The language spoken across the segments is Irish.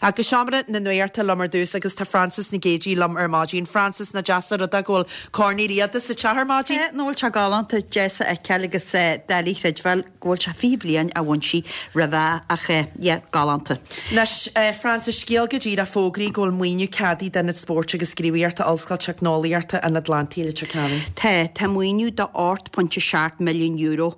Ach go seomra na nuachta liom ar dtús agus tá Frances Nic Géadaigh liom ar maidin. Frances, nach deas an rud é go bhfuil Corn Uí Riada sa teach ar maidin? Tá, nach bhfuil sé galánta, deas a fheiceáil agus doiligh a chreidbheáil go bhfuil sé 20 bliain ó bhain sí roimhe ach yeah, galánta. Anois, Frances, scéal go díreach fógraithe go bhfuil maoiniú ceadaithe d'Ionad Spóirt agus Gníomhaíochta Ollscoil Teicneolaíochta an Atlantaigh i Leitir Ceanainn. Tá, tá maoiniú de €8.7 milliún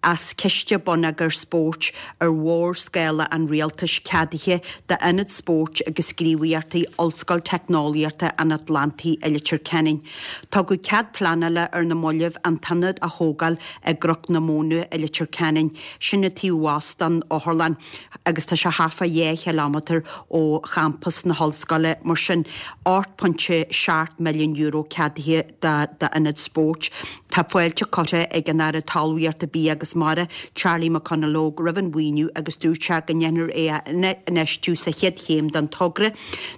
as Ciste Bonneagair Spóirt ar mhórscála an Rialtais ceadaithe d'Ionad Spóirt agus Gníomhaíochta Ollscoil Teicneolaíochta an Atlantaigh i Leitir Ceanainn. Tugadh cead pleanála ar na mallaibh an t-ionad a thógáil i gCnoc na Móna i Leitir Ceanainn, sin taobh abhus don otharlann agus tá sé thart fá dhá chileámeadar ó champas na hollscoile. Mar sin, €8.7 milliún ceadaithe d'ionad spóirt. Tá fáilte curtha ag an Aire Talmhaíochta, Bia agus Mara, Charlie McConalogue, roimh an mhaoiniú agus dúirt sé go ndéanfar é a infheistiú sa chéad chéim den togra.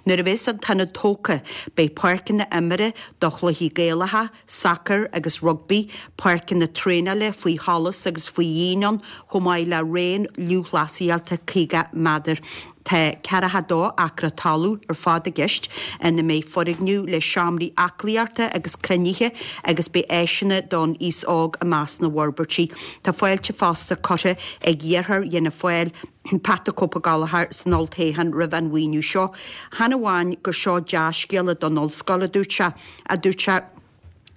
Nuair a bheas an t-ionad tógtha, beidh páirceanna imeartha do chluichí Gaelacha, sacar agus rugbaí, páirceanna traenála faoi sholas agus faoi dhíon ann, chomh maith le raon lúthchleasaíochta 50 méadar. Tá 42 acra talún ar fad i gceist ina mbeidh foirgneamh le seomraí aclaíochta agus cruinnithe agus beidh áiseanna don aos óg i measc na bhforbairtí. Tá fáilte fosta curtha ag iarrthóir Fhianna Fáil, Pat 'The Cope' Gallchóir san olltoghchán roimh an mhaoiniú seo. Chan amháin gur seo dea-scéala don ollscoil, a dúirt sé, a dúirt sé,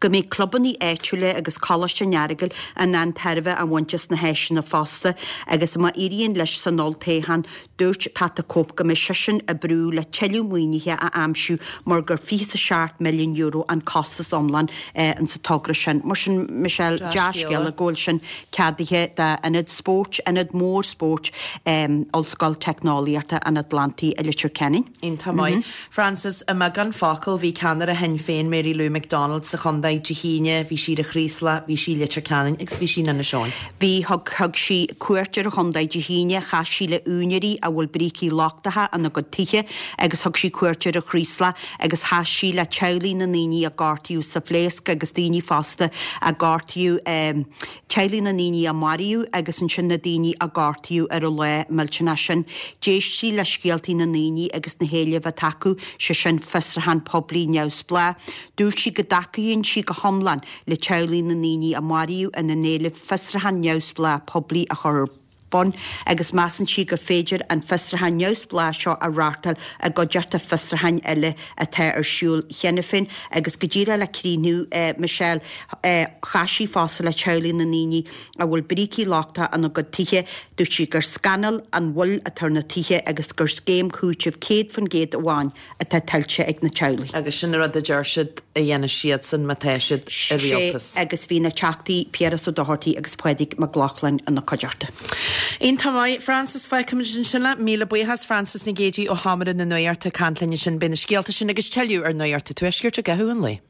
go mbeidh clubanna áitiúla agus Coláiste an Earagail in ann tairbhe a bhaint as na háiseanna fosta agus má éiríonn leis san olltoghchán, dúirt Pat 'The Cope' go mbeidh seisean ag brú le tuilleadh maoinithe a aimsiú mar gur €27 milliún an costas iomlán insa togra sin. Mar sin, Michelle, dea-scéala go bhfuil sin ceadaithe d'ionad spóirt, ionad mór spóirt Ollscoil Teicneolaíochta an Atlantaigh i Leitir Ceanainn. Iontach maith. Frances, I mbeagán focal, bhí ceannaire Shinn Féin, Mary Lou McDonald, sa chontae Dé hAoine, bhí sí ar an Chraoslach, bhí sí i Leitir Ceanainn agus bhí sí in Inis Eoghain. Bhí, thug, thug sí cuairt ar an chontae Dé hAoine, chas sí le úinéirí a bhfuil brící lochtacha ina gcuid tithe agus thug sí cuairt ar an Chraoslach agus chas sí le teaghlaigh na ndaoine a gortaíodh sa phléasc agus daoine fosta a gortaíodh, teaghlaigh na ndaoine a maraíodh agus ansin na daoine a gortaíodh ar an lá millteanach sin. D'éist sí le scéaltaí na ndaoine agus na héilimh atá acu, sé sin fiosrúchán poiblí neamhspleách. Dúirt sí go dtacaíonn sí go hiomlán le teaghlaigh na ndaoine a maraíodh ina n-éileamh fiosrúchán neamhspleách poiblí a chur ar bun agus measann sí gur féidir an fiosrúchán neamhspleách seo a reáchtáil i gcuideachta fiosrúcháin eile atá ar siúl cheana féin agus go díreach le críochnú, Michelle, chas sí fosta le teaghlaigh na ndaoine a bhfuil brící lochtacha ina gcuid tithe. Dúirt sí gur scannal an mhoill atá ar na tithe agus gur scéim chúitimh 100% amháin atá tuillte ag na teaghlaigh. Agus sin an rud a deir siad a dhéanfaidh siadsan má tá siad i rialtas. Sé agus bhí na Teachtaí Piaras Ó Dochartaigh agus Pádraig Mac Lochlainn ina cuideachta. Iontach maith, Frances. Fágfaimid ansin leat. Míle buíochas, Frances Nic Géadaigh ó Sheomra na Nuachta ag caint linn ansin. Beidh na scéalta sin agus tuilleadh ar Nuacht an Tuaiscirt i gcaitheamh an lae.